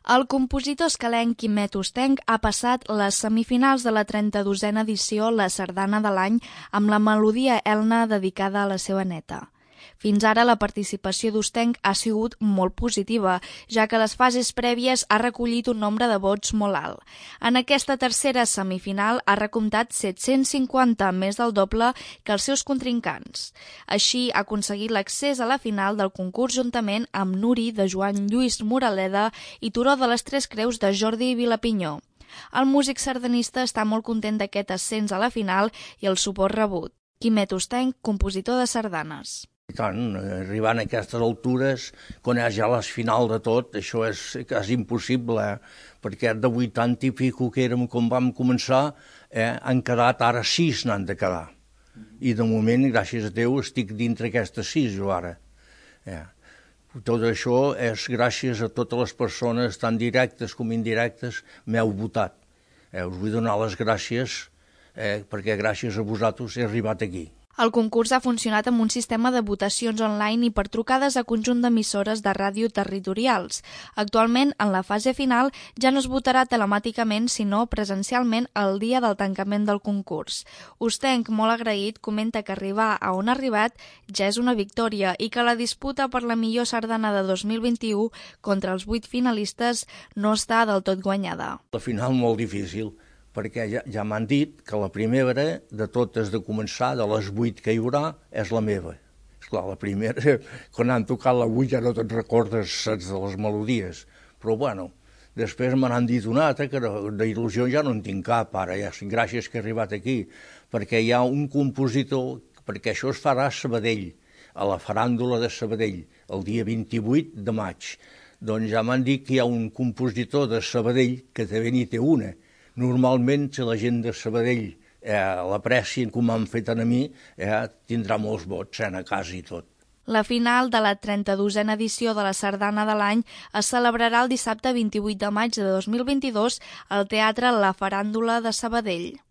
El compositor escalenc Quimet Ostenc ha passat les semifinals de la 32a edició La Sardana de l'Any amb la melodia Elna dedicada a la seva neta. Fins ara la participació d'Ostenc ha sigut molt positiva, ja que a les fases prèvies ha recollit un nombre de vots molt alt. En aquesta tercera semifinal ha recomptat 750, més del doble que els seus contrincants. Així ha aconseguit l'accés a la final del concurs juntament amb Nuri de Joan Lluís Moraleda i Turó de les Tres Creus de Jordi Vilapinyó. El músic sardanista està molt content d'aquest ascens a la final i el suport rebut. Quimet Ostenc, compositor de sardanes. I tant, arribant a aquestes altures, quan és ja la final de tot, això és impossible, perquè de 80 i pico que érem quan vam començar, han quedat ara 6 n'han de quedar. I de moment, gràcies a Déu, estic dintre aquestes 6 jo ara. Tot això és gràcies a totes les persones, tant directes com indirectes, m'heu votat. Us vull donar les gràcies, perquè gràcies a vosaltres he arribat aquí. El concurs ha funcionat amb un sistema de votacions online i per trucades a conjunt d'emissores de ràdio territorials. Actualment, en la fase final, ja no es votarà telemàticament, sinó presencialment el dia del tancament del concurs. Ostenc, molt agraït, comenta que arribar a on ha arribat ja és una victòria i que la disputa per la millor sardana de 2021 contra els 8 finalistes no està del tot guanyada. La final molt difícil, perquè ja m'han dit que la primera de totes de començar, de les 8 que hi haurà, és la meva. Esclar, la primera, quan han tocat la 8 ja no te'n recordes, saps, de les melodies. Però bueno, després me n'han dit una altra, que d'il·lusió ja no en tinc cap, ara, ja, gràcies que he arribat aquí, perquè hi ha un compositor, perquè això es farà a Sabadell, a la faràndula de Sabadell, el dia 28 de maig. Doncs ja m'han dit que hi ha un compositor de Sabadell, que també n'hi té una. Normalment, si la gent de Sabadell l'aprecien com m'han fet a mi, tindrà molts vots a casa i tot. La final de la 32a edició de la Sardana de l'Any es celebrarà el dissabte 28 de maig de 2022 al Teatre La Faràndula de Sabadell.